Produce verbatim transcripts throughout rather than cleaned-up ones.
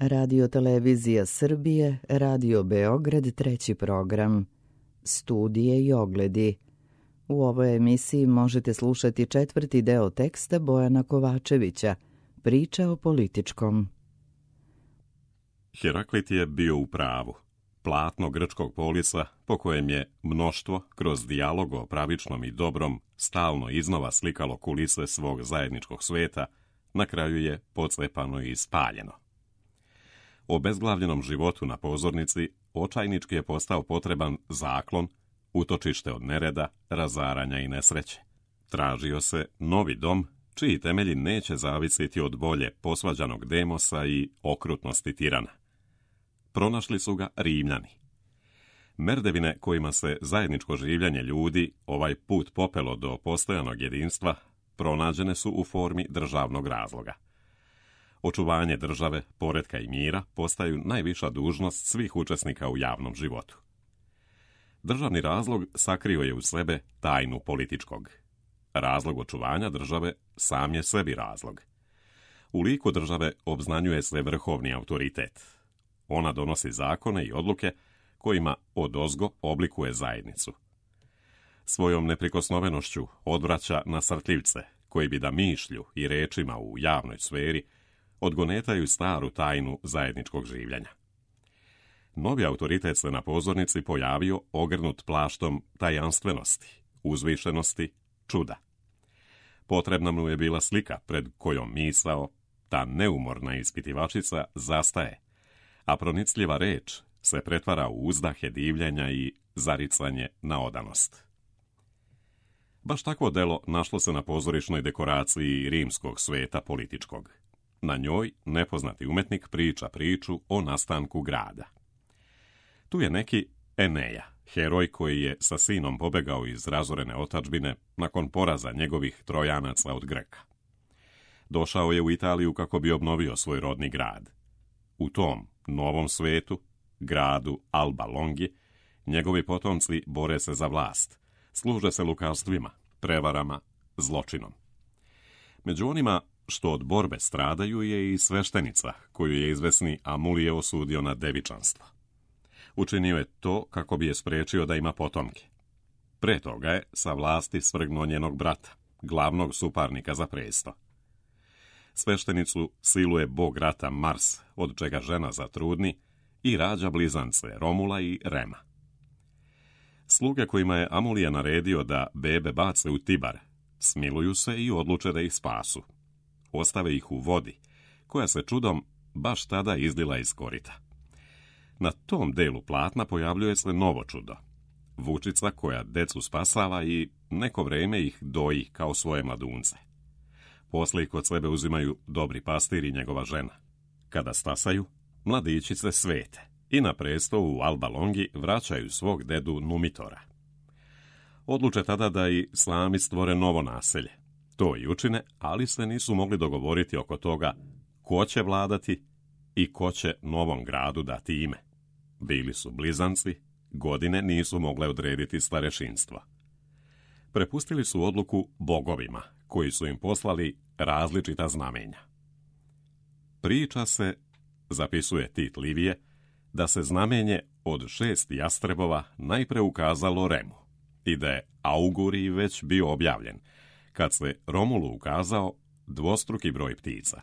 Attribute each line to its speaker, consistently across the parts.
Speaker 1: Radio Televizija Srbije, Radio Beograd, treći program. Studije i ogledi. U ovoj emisiji možete slušati četvrti deo teksta Bojana Kovačevića, Priča o političkom.
Speaker 2: Heraklit je bio u pravu. Platno grčkog polisa, po kojem je mnoštvo, kroz dijalog o pravičnom i dobrom, stalno iznova slikalo kulise svog zajedničkog sveta, na kraju je pocepano i spaljeno. O bezglavljenom životu na pozornici očajnički je postao potreban zaklon, utočište od nereda, razaranja i nesreće. Tražio se novi dom, čiji temelji neće zavisiti od volje posvađanog Demosa i okrutnosti tirana. Pronašli su ga Rimljani. Merdevine kojima se zajedničko življenje ljudi ovaj put popelo do postojanog jedinstva, pronađene su u formi državnog razloga. Očuvanje države, poretka i mira postaju najviša dužnost svih učesnika u javnom životu. Državni razlog sakrio je u sebe tajnu političkog. Razlog očuvanja države sam je sebi razlog. U liku države obznanjuje se vrhovni autoritet. Ona donosi zakone i odluke kojima odozgo oblikuje zajednicu. Svojom neprikosnovenošću odvraća nasrtljivce, koji bi da mišlju i rečima u javnoj sferi odgonetaju staru tajnu zajedničkog življenja. Novi autoritet se na pozornici pojavio ogrnut plaštom tajanstvenosti, uzvišenosti, čuda. Potrebna mu je bila slika pred kojom misao, ta neumorna ispitivačica, zastaje, a pronicljiva reč se pretvara u uzdahe divljenja i zaricanje na odanost. Baš takvo delo našlo se na pozorišnoj dekoraciji rimskog sveta političkog. Na njoj nepoznati umetnik priča priču o nastanku grada. Tu je neki Eneja, heroj koji je sa sinom pobegao iz razorene otadžbine nakon poraza njegovih Trojanaca od Greka. Došao je u Italiju kako bi obnovio svoj rodni grad. U tom novom svetu, gradu Alba Longi, njegovi potomci bore se za vlast, služe se lukavstvima, prevarama, zločinom. Među onima što od borbe stradaju je i sveštenica, koju je izvesni Amulije osudio na devičanstvo. Učinio je to kako bi je sprečio da ima potomke. Pre toga je sa vlasti svrgnuo njenog brata, glavnog suparnika za presto. Sveštenicu siluje bog rata Mars, od čega žena zatrudni, i rađa blizance Romula i Rema. Sluge kojima je Amulija naredio da bebe bace u Tibar, smiluju se i odluče da ih spasu. Ostave ih u vodi, koja se čudom baš tada izlila iz korita. Na tom delu platna pojavljuje se novo čudo. Vučica koja decu spasava i neko vreme ih doji kao svoje mladunce. Poslije kod sebe uzimaju dobri pastir i njegova žena. Kada stasaju, mladići se svete i na presto u Alba Longi vraćaju svog dedu Numitora. Odluče tada da i sami stvore novo naselje. To i učine, ali se nisu mogli dogovoriti oko toga ko će vladati i ko će novom gradu dati ime. Bili su blizanci, godine nisu mogle odrediti starešinstvo. Prepustili su odluku bogovima, koji su im poslali različita znamenja. Priča se, zapisuje Tit Livije, da se znamenje od šest jastrebova najpre ukazalo Remu i da je augurij već bio objavljen, kad se Romulu ukazao dvostruki broj ptica.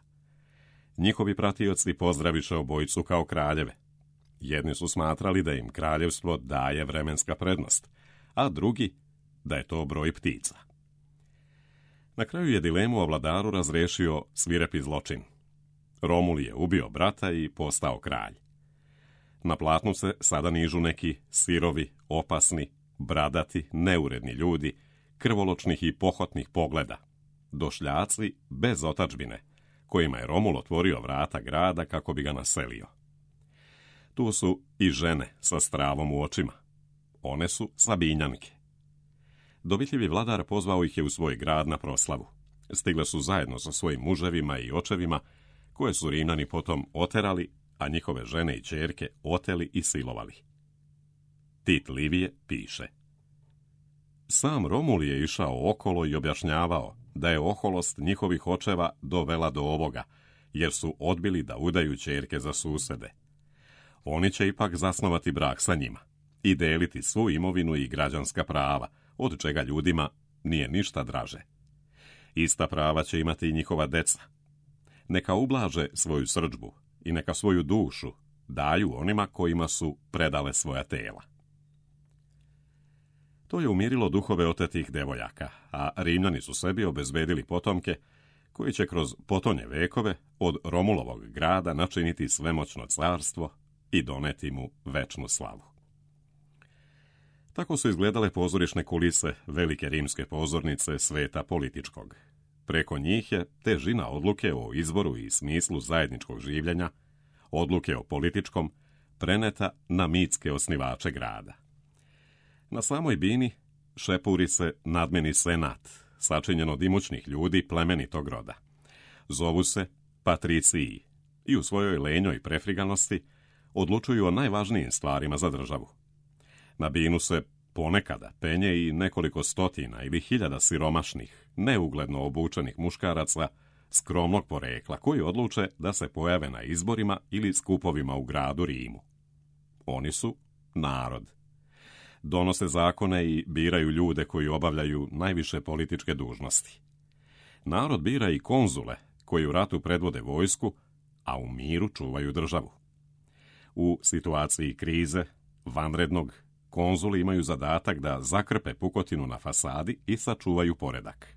Speaker 2: Njihovi pratioci pozdraviše obojicu kao kraljeve. Jedni su smatrali da im kraljevstvo daje vremenska prednost, a drugi da je to broj ptica. Na kraju je dilemu o vladaru razrešio svirepi zločin. Romul je ubio brata i postao kralj. Na platnu se sada nižu neki sirovi, opasni, bradati, neuredni ljudi, krvoločnih i pohotnih pogleda, došljaci bez otadžbine, kojima je Romul otvorio vrata grada kako bi ga naselio. Tu su i žene sa stravom u očima. One su Sabinjanke. Dovitljivi vladar pozvao ih je u svoj grad na proslavu. Stigle su zajedno sa svojim muževima i očevima, koje su Rimljani potom oterali, a njihove žene i ćerke oteli i silovali. Tit Livije piše: Sam Romul je išao okolo i objašnjavao da je oholost njihovih očeva dovela do ovoga jer su odbili da udaju ćerke za susede. Oni će ipak zasnovati brak sa njima i deliti svu imovinu i građanska prava, od čega ljudima nije ništa draže. Ista prava će imati i njihova deca. Neka ublaže svoju srdžbu i neka svoju dušu daju onima kojima su predale svoja tela. To je umirilo duhove otetih devojaka, a Rimljani su sebi obezbedili potomke koji će kroz potonje vekove od Romulovog grada načiniti svemoćno carstvo i doneti mu večnu slavu. Tako su izgledale pozorišne kulise velike rimske pozornice sveta političkog. Preko njih je težina odluke o izboru i smislu zajedničkog življenja, odluke o političkom, preneta na mitske osnivače grada. Na samoj bini šepuri se nadmeni senat, sačinjen od imućnih ljudi plemenitog roda. Zovu se patriciji i u svojoj lenjoj prefriganosti odlučuju o najvažnijim stvarima za državu. Na binu se ponekada penje i nekoliko stotina ili hiljada siromašnih, neugledno obučenih muškaraca skromnog porekla koji odluče da se pojave na izborima ili skupovima u gradu Rimu. Oni su narod. Donose zakone i biraju ljude koji obavljaju najviše političke dužnosti. Narod bira i konzule koji u ratu predvode vojsku, a u miru čuvaju državu. U situaciji krize, vanrednog, konzuli imaju zadatak da zakrpe pukotinu na fasadi i sačuvaju poredak.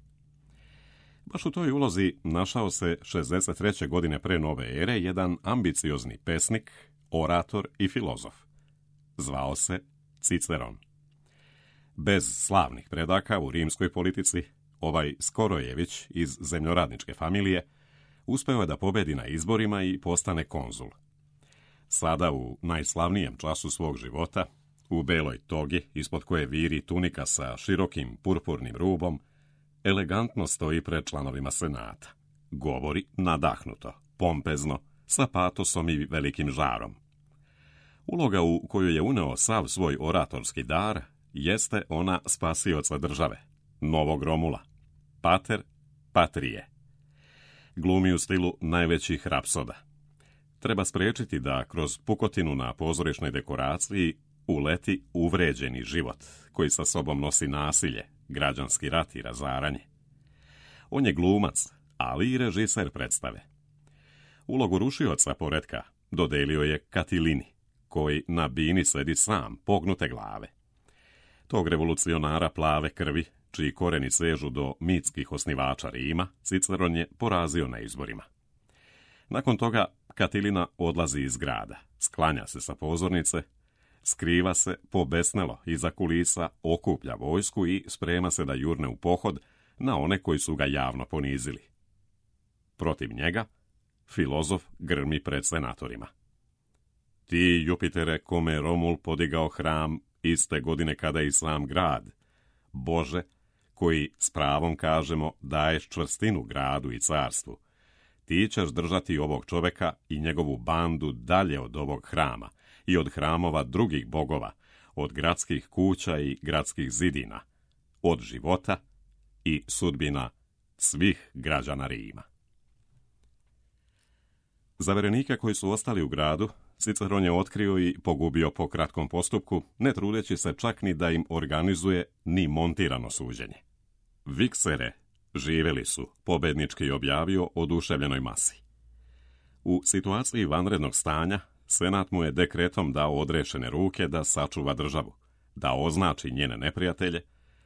Speaker 2: Baš u toj ulozi našao se šezdeset treće godine pre nove ere jedan ambiciozni pesnik, orator i filozof. Zvao se Ciceron. Bez slavnih predaka u rimskoj politici, ovaj Skorojević iz zemljoradničke familije uspeo je da pobedi na izborima i postane konzul. Sada u najslavnijem času svog života, u beloj togi, ispod koje viri tunika sa širokim purpurnim rubom, elegantno stoji pred članovima senata. Govori nadahnuto, pompezno, sa patosom i velikim žarom. Uloga u koju je uneo sav svoj oratorski dar jeste ona spasioca države, novog Romula, pater patrije. Glumi u stilu najvećih rapsoda. Treba spriječiti da kroz pukotinu na pozorišnoj dekoraciji uleti uvređeni život, koji sa sobom nosi nasilje, građanski rat i razaranje. On je glumac, ali i režiser predstave. Ulogu rušioca poretka dodelio je Katilini, koji na bini sedi sam, pognute glave. Tog revolucionara plave krvi, čiji koreni sežu do mitskih osnivača Rima, Ciceron je porazio na izborima. Nakon toga Katilina odlazi iz grada, sklanja se sa pozornice, skriva se pobesnelo iza kulisa, okuplja vojsku i sprema se da jurne u pohod na one koji su ga javno ponizili. Protiv njega, filozof grmi pred senatorima. Ti, Jupitere, kome Romul podigao hram iste godine kada i sam grad, Bože, koji s pravom kažemo daješ čvrstinu gradu i carstvu, ti ćeš držati ovog čoveka i njegovu bandu dalje od ovog hrama i od hramova drugih bogova, od gradskih kuća i gradskih zidina, od života i sudbina svih građana Rima. Zaverenike koji su ostali u gradu, Ciceron je otkrio i pogubio po kratkom postupku, ne trudeći se čak ni da im organizuje ni montirano suđenje. Viksere živeli su, pobednički objavio oduševljenoj masi. U situaciji vanrednog stanja, senat mu je dekretom dao odrešene ruke da sačuva državu, da označi njene neprijatelje,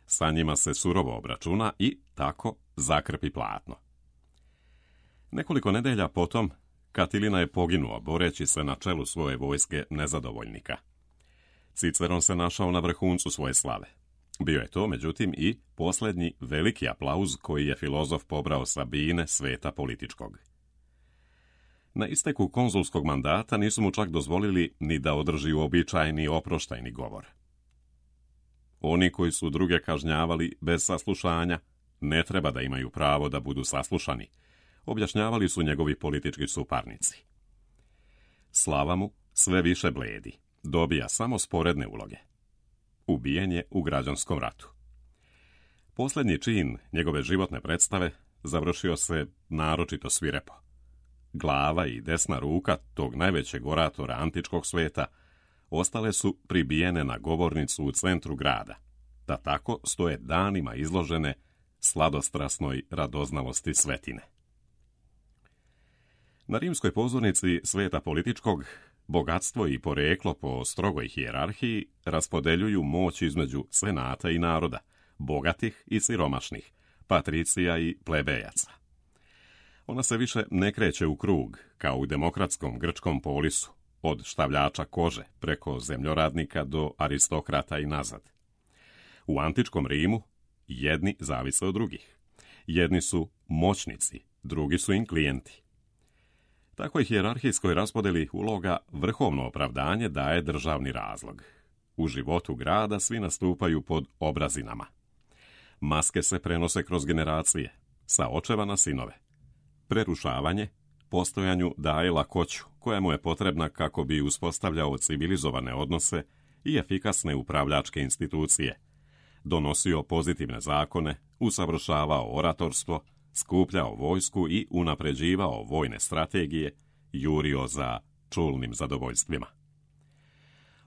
Speaker 2: sa njima se surovo obračuna i tako zakrpi platno. Nekoliko nedelja potom, Katilina je poginuo boreći se na čelu svoje vojske nezadovoljnika. Ciceron se našao na vrhuncu svoje slave. Bio je to, međutim, i posljednji veliki aplauz koji je filozof pobrao sa bine sveta političkog. Na isteku konzulskog mandata nisu mu čak dozvolili ni da održi uobičajeni oproštajni govor. Oni koji su druge kažnjavali bez saslušanja, ne treba da imaju pravo da budu saslušani, objašnjavali su njegovi politički suparnici. Slava mu sve više bledi, dobija samo sporedne uloge. Ubijen je u građanskom ratu. Posljednji čin njegove životne predstave završio se naročito svirepo. glava i desna ruka tog najvećeg oratora antičkog sveta ostale su pribijene na govornicu u centru grada, da tako stoje danima izložene sladostrasnoj radoznalosti svetine. Na rimskoj pozornici sveta političkog, bogatstvo i poreklo po strogoj hijerarhiji raspodeljuju moć između senata i naroda, bogatih i siromašnih, patricija i plebejaca. Ona se više ne kreće u krug, kao u demokratskom grčkom polisu, od štavljača kože preko zemljoradnika do aristokrata i nazad. U antičkom Rimu jedni zavise od drugih. Jedni su moćnici, drugi su im klijenti. Takvoj hijerarhijskoj raspodeli uloga vrhovno opravdanje daje državni razlog. U životu grada svi nastupaju pod obrazinama. Maske se prenose kroz generacije, sa očeva na sinove. Prerušavanje postojanju daje lakoću, koja mu je potrebna kako bi uspostavljao civilizovane odnose i efikasne upravljačke institucije, donosio pozitivne zakone, usavršavao oratorstvo, skupljao vojsku i unapređivao vojne strategije, jurio za čulnim zadovoljstvima.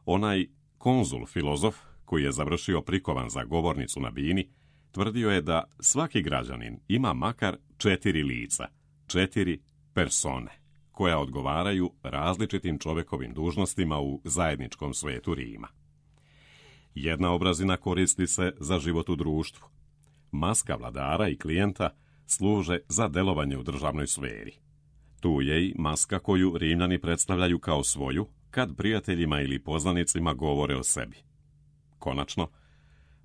Speaker 2: Onaj konzul filozof, koji je završio prikovan za govornicu na bini, tvrdio je da svaki građanin ima makar četiri lica, četiri persone, koja odgovaraju različitim čovekovim dužnostima u zajedničkom svetu Rima. Jedna obrazina koristi se za život u društvu. Maska vladara i klijenta služe za delovanje u državnoj sferi. Tu je i maska koju Rimljani predstavljaju kao svoju, kad prijateljima ili poznanicima govore o sebi. Konačno,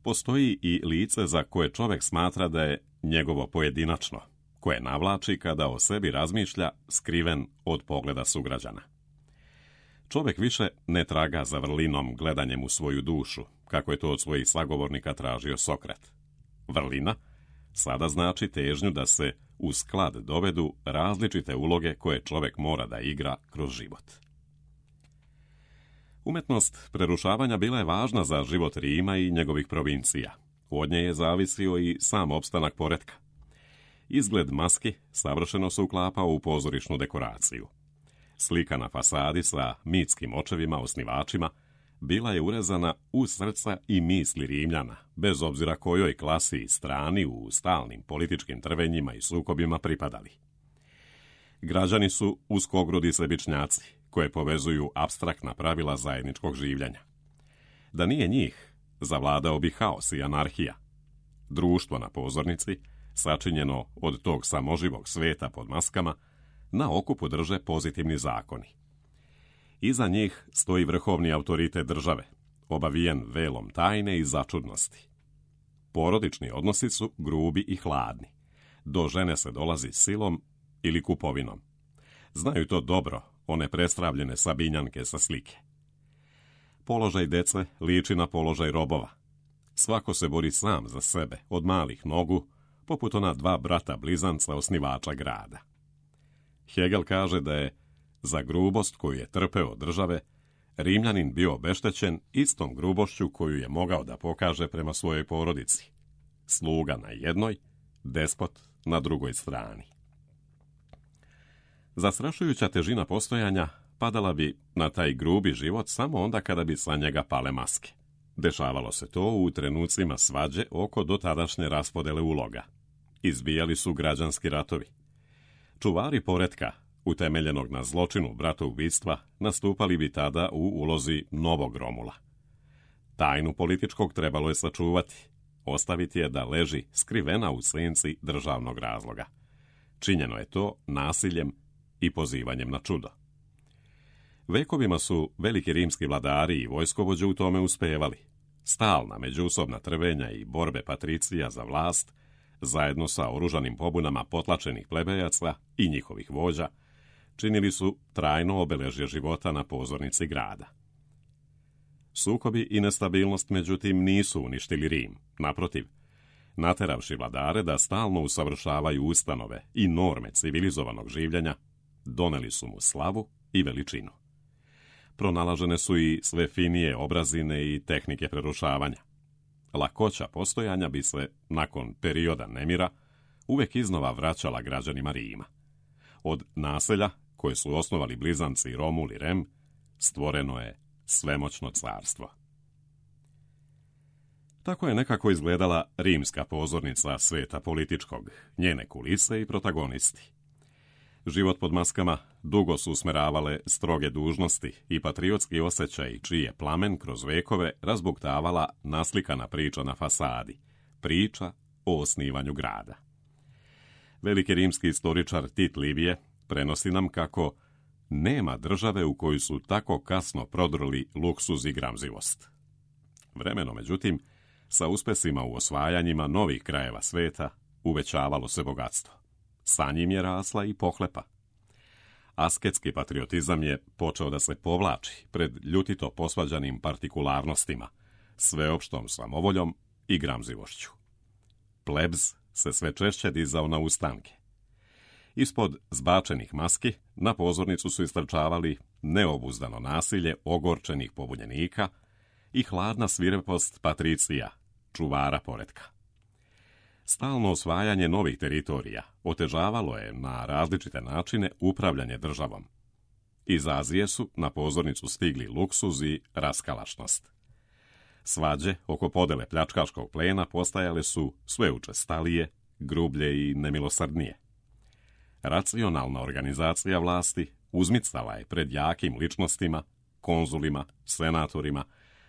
Speaker 2: postoji i lice za koje čovek smatra da je njegovo pojedinačno, koje navlači kada o sebi razmišlja skriven od pogleda sugrađana. Čovek više ne traga za vrlinom gledanjem u svoju dušu, kako je to od svojih sagovornika tražio Sokrat. Vrlina sada znači težnju da se u sklad dovedu različite uloge koje čovek mora da igra kroz život. Umetnost prerušavanja bila je važna za život Rima i njegovih provincija. Od nje je zavisio i sam opstanak poretka. Izgled maski savršeno se uklapao u pozorišnu dekoraciju. Slika na fasadi sa mitskim očevima osnivačima bila je urezana u srca i misli Rimljana, bez obzira kojoj klasi i strani u stalnim političkim trvenjima i sukobima pripadali. Građani su uskogrudi sebičnjaci, koje povezuju apstraktna pravila zajedničkog življenja. Da nije njih, zavladao bi haos i anarhija. Društvo na pozornici, sačinjeno od tog samoživog sveta pod maskama, na okupu drže pozitivni zakoni. Iza njih stoji vrhovni autoritet države, obavijen velom tajne i začudnosti. Porodični odnosi su grubi i hladni. Do žene se dolazi silom ili kupovinom. Znaju to dobro one prestravljene Sabinjanke sa slike. Položaj dece liči na položaj robova. Svako se bori sam za sebe, od malih nogu, poput ona dva brata blizanca osnivača grada. Hegel kaže da je za grubost koju je trpeo od države, Rimljanin bio obeštećen istom grubošću koju je mogao da pokaže prema svojoj porodici. Sluga na jednoj, despot na drugoj strani. Zastrašujuća težina postojanja padala bi na taj grubi život samo onda kada bi sa njega pale maske. Dešavalo se to u trenucima svađe oko dotadašnje raspodele uloga. Izbijali su građanski ratovi. Čuvari poretka, utemeljenog na zločinu bratoubistva, nastupali bi tada u ulozi novog Romula. Tajnu političkog trebalo je sačuvati, ostaviti je da leži skrivena u senci državnog razloga. Činjeno je to nasiljem i pozivanjem na čudo. Vekovima su veliki rimski vladari i vojskovođe u tome uspevali. Stalna međusobna trvenja i borbe patricija za vlast, zajedno sa oružanim pobunama potlačenih plebejaca i njihovih vođa, činili su trajno obeležje života na pozornici grada. Sukobi i nestabilnost, međutim, nisu uništili Rim. Naprotiv, nateravši vladare da stalno usavršavaju ustanove i norme civilizovanog življenja, doneli su mu slavu i veličinu. Pronalažene su i sve finije obrazine i tehnike prerušavanja. Lakoća postojanja bi se, nakon perioda nemira, uvek iznova vraćala građanima Rima. Od naselja, koje su osnovali blizanci Romul i Rem, stvoreno je svemoćno carstvo. Tako je nekako izgledala rimska pozornica sveta političkog, njene kulise i protagonisti. Život pod maskama dugo su usmeravale stroge dužnosti i patriotski osjećaj, čiji je plamen kroz vekove razbuktavala naslikana priča na fasadi, priča o osnivanju grada. Veliki rimski istoričar Tit Livije prenosi nam kako nema države u kojoj su tako kasno prodrli luksuz i gramzivost. Vremenom, međutim, sa uspesima u osvajanjima novih krajeva sveta uvećavalo se bogatstvo. Sa njim je rasla i pohlepa. Asketski patriotizam je počeo da se povlači pred ljutito posvađanim partikularnostima, sveopštom samovoljom i gramzivošću. Plebs se sve češće dizao na ustanke. Ispod zbačenih maski na pozornicu su istrčavali neobuzdano nasilje ogorčenih pobunjenika i hladna svirepost patricija, čuvara poretka. Stalno osvajanje novih teritorija otežavalo je na različite načine upravljanje državom. Iz Azije su na pozornicu stigli luksuz i raskalašnost. Svađe oko podele pljačkaškog plena postajale su sve učestalije, grublje i nemilosrdnije. Racionalna organizacija vlasti uzmicala je pred jakim ličnostima, konzulima, senatorima,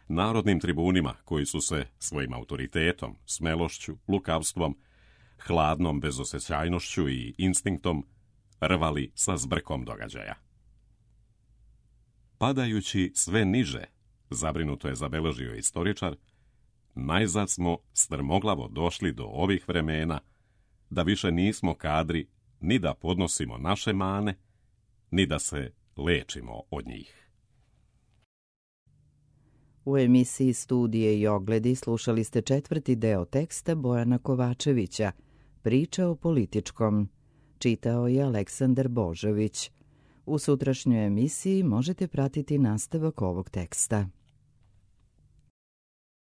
Speaker 2: narodnim tribunima koji su se svojim autoritetom, smelošću, lukavstvom, hladnom bezosjećajnošću i instinktom rvali sa zbrkom događaja. Padajući sve niže, zabrinuto je zabeležio istoričar, najzad smo strmoglavo došli do ovih vremena da više nismo kadri ni da podnosimo naše mane, ni da se lečimo od njih.
Speaker 1: U emisiji Studije i ogledi slušali ste četvrti deo teksta Bojana Kovačevića, Priča o političkom. Čitao je Aleksandar Božović. U sutrašnjoj emisiji možete pratiti nastavak ovog teksta.